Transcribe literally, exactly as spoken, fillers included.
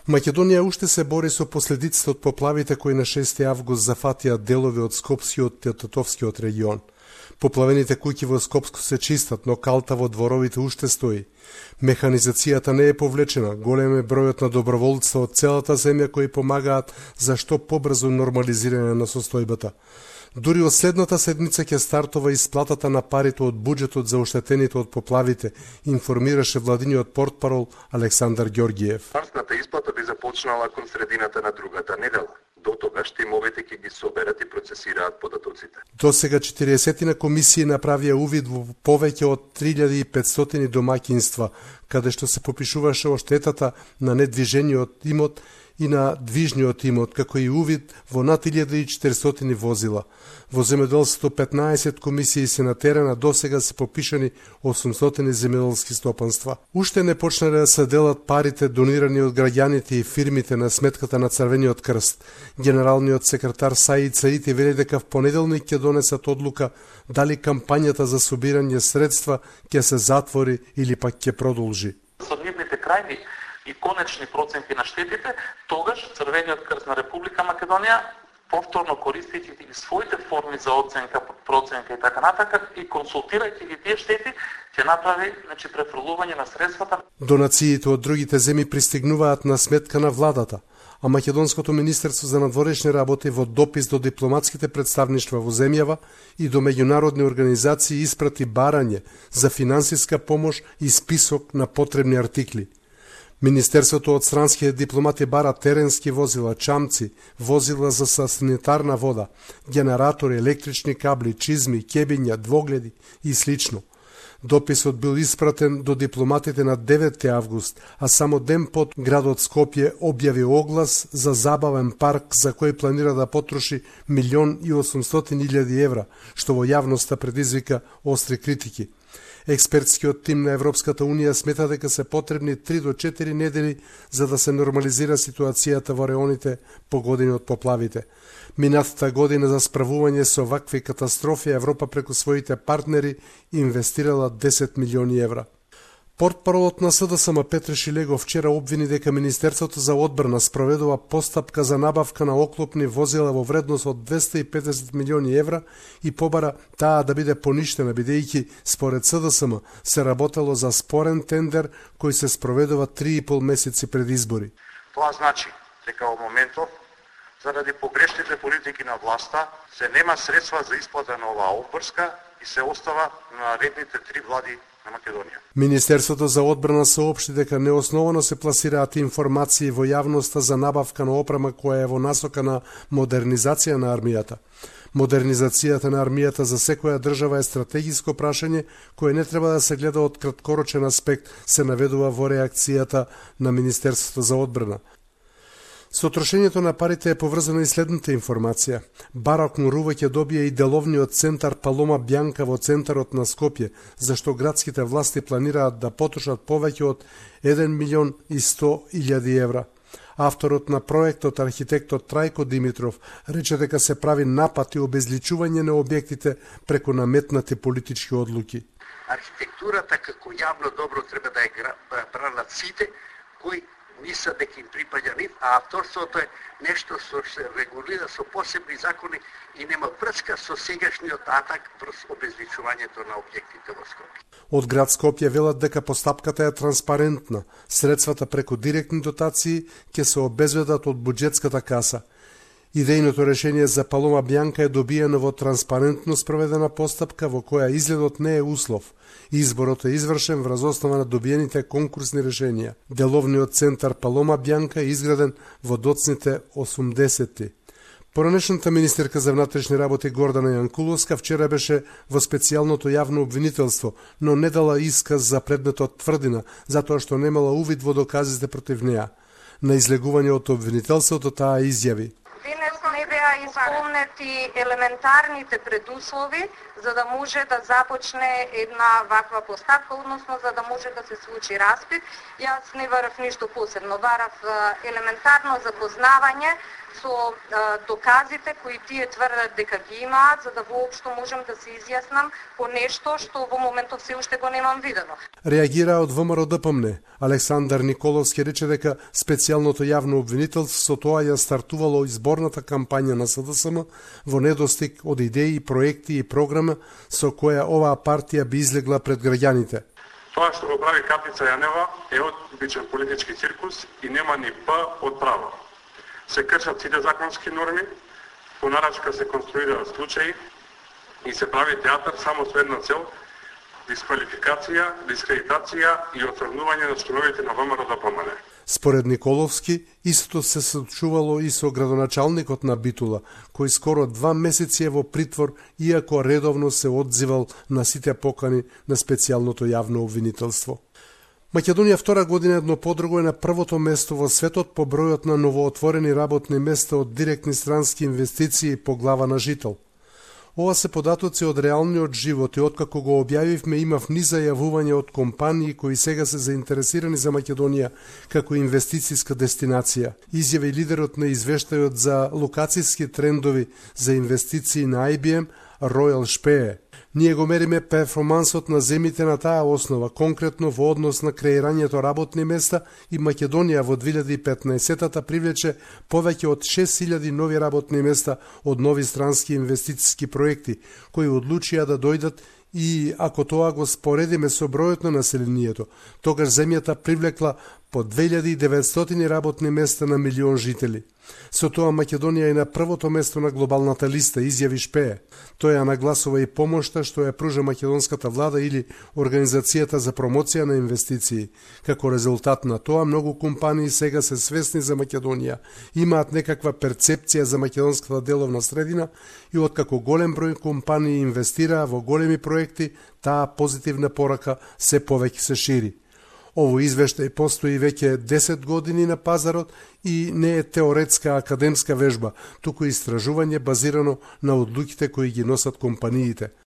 Македонија уште се бори со последиците од поплавите кои на шести август зафатија делови од Скопскиот и Тетовскиот регион. Поплавените куќи во Скопско се чистат, но калта во дворовите уште стои. Механизацијата не е повлечена, голем е бројот на доброволци од целата земја кои помагаат за што побрзо нормализирање на состојбата. Дури од следната седмица ќе стартува исплатата на парите од буџетот за оштетените од поплавите, информираше владиниот портпарол Александар Ѓорѓиев. Стартната исплата би започнала кон средината на другата недела. До тогаш тимовете ќе ги соберат и процесираат податоците. До сега четириесет комисии направија увид во повеќе од три илјади и петстотини домаќинства, каде што се попишуваше оштетата на недвижениот имот и на движниот имот, како и увид во над илјада и четиристотини возила. Во земјоделството петнаесет комисии се на терена, досега се попишани осумстотини земјоделски стопанства. Уште не почнале да се делат парите донирани од граѓаните и фирмите на сметката на Црвениот крст. Генералниот секретар Саид Саити вели дека в понеделник ќе донесат одлука дали кампањата за собирање средства ќе се затвори или пак ќе продолжи. Со нивните крајни и конечни проценти на штетите, тогаш Црвениот крст на Република Македонија, повторно користејќи ги своите форми за оценка, проценка и така натака, и консултирајќи ги тие штети, ќе направи, значи, префрлување на средствата. Донациите од другите земји пристигнуваат на сметка на владата, а Македонското министерство за надворешни работи во допис до дипломатските представништва во земјава и до меѓународни организации испрати барање за финансиска помош и список на потребни артикли. Министерството од странските дипломати бара теренски возила, чамци, возила за санитарна вода, генератори, електрични кабли, чизми, кебиња, двогледи и слично. Дописот бил испратен до дипломатите на деветти август, а само ден под градот Скопје објави оглас за забавен парк за кој планира да потроши милион и осумстотини илјади евра, што во јавноста предизвика остри критики. Експертскиот тим на Европската Унија смета дека се потребни три до четири недели за да се нормализира ситуацијата во реоните погодени од поплавите. Минатата година за справување со вакви катастрофи Европа преку своите партнери инвестирала десет милиони евра. Портпаролот на СДСМ Петре Шилего вчера обвини дека Министерството за одбрана спроведува постапка за набавка на оклопни возила во вредност од двесте и педесет милиони евра и побара таа да биде поништена, бидејќи според СДСМ се работело за спорен тендер кој се спроведува три и пол месеци пред избори. Тоа значи дека во моментов, заради погрешните политики на власта, се нема средства за исплата на оваа обврска и се остава на редните три влади на Македонија. Министерството за одбрана соопшти дека неосновано се пласираат информации во јавноста за набавка на опрема која е во насока на модернизација на армијата. Модернизацијата на армијата за секоја држава е стратегиско прашање кое не треба да се гледа од краткорочен аспект, се наведува во реакцијата на Министерството за одбрана. Со трошењето на парите е поврзана и следната информација. Барак Нурува ќе добие и деловниот центар Палома Бјанка во центарот на Скопје, зашто градските власти планираат да потрошат повеќе од еден милион и сто илјади евра. Авторот на проектот, архитектот Трајко Димитров, рече дека се прави напад и обезличување на објектите преку наметнати политички одлуки. Архитектурата како јавно добро треба да е бранат сите кои мисля дека им припаѓа нив, а авторството е нешто што се регулира со посебни закони и нема врска со сегашниот атак врз обезличувањето на објектите во Скопје. Од град Скопје велат дека постапката е транспарентна. Средствата преку директни дотации ќе се обезбедат од буџетската каса. Идејното решение за Палома Бјанка е добиено во транспарентно спроведена постапка во која изгледот не е услов. Изборот е извршен врз основа на добиените конкурсни решенија. Деловниот центар Палома Бјанка е изграден во доцните осумдесетти. Поранешната министерка за внатрешни работи Гордана Јанкуловска вчера беше во специјалното јавно обвинителство, но не дала исказ за предметот тврдина, затоа што немала увид во доказите против неа. На излегување од обвинителството таа изјави: Денес не беа исполнети елементарните предуслови за да може да започне една ваква поставка, односно за да може да се случи распит. Јас не барав ништо посебно, барав елементарно запознавање со доказите кои тие тврдат дека ги имаат, за да воопшто можем да се изјаснам по нешто што во моментов се уште го немам видено. Реагира од ВМРО-ДПМНЕ. Александар Николовски рече дека специјалното јавно обвинителство со тоа ја стартувало изборната кампања на СДСМ во недостиг од идеи, проекти и програма со која оваа партија би излегла пред граѓаните. Тоа што го прави Капица Јанева е одбичен политички циркус и нема ни П од право. Се кршат сите законски норми, по нарачка се конструираат случаи и се прави театар само со една цел – дисквалификација, дискредитација и оцрнување на членовите на ВМРО-ДПМНЕ. Според Николовски, истото се случувало и со градоначалникот на Битула, кој скоро два месеци е во притвор, иако редовно се одзивал на сите покани на специјалното јавно обвинителство. Македонија втора година едно подруго е на првото место во светот по бројот на новоотворени работни места од директни странски инвестиции по глава на жител. Ова се податоци од реалниот живот и откако го објавивме имав низ зајавување од компании кои сега се заинтересирани за Македонија како инвестициска дестинација. Изјави лидерот на извештајот за локацијски трендови за инвестиции на Ай Би Ем Ројал Шпее. Ние го мериме перформансот на земите на таа основа, конкретно во однос на креирањето работни места, и Македонија во две илјади и петнаесетта привлече повеќе од шест илјади нови работни места од нови странски инвестициски проекти, кои одлучија да дојдат, и ако тоа го споредиме со бројот на населението, тогаш земјата привлекла по две илјади и деветстотини работни места на милион жители. Со тоа Македонија е на првото место на глобалната листа, изјави Шпее. Тој ја нагласува и помошта што ја пружа македонската влада или Организацијата за промоција на инвестиции. Како резултат на тоа, многу компании сега се свесни за Македонија, имаат некаква перцепција за македонската деловна средина и откако голем број компании инвестираа во големи проекти, таа позитивна порака се повеќе се шири. Ово извештај постои веќе десет години на пазарот и не е теоретска академска вежба, туку истражување базирано на одлуките кои ги носат компаниите.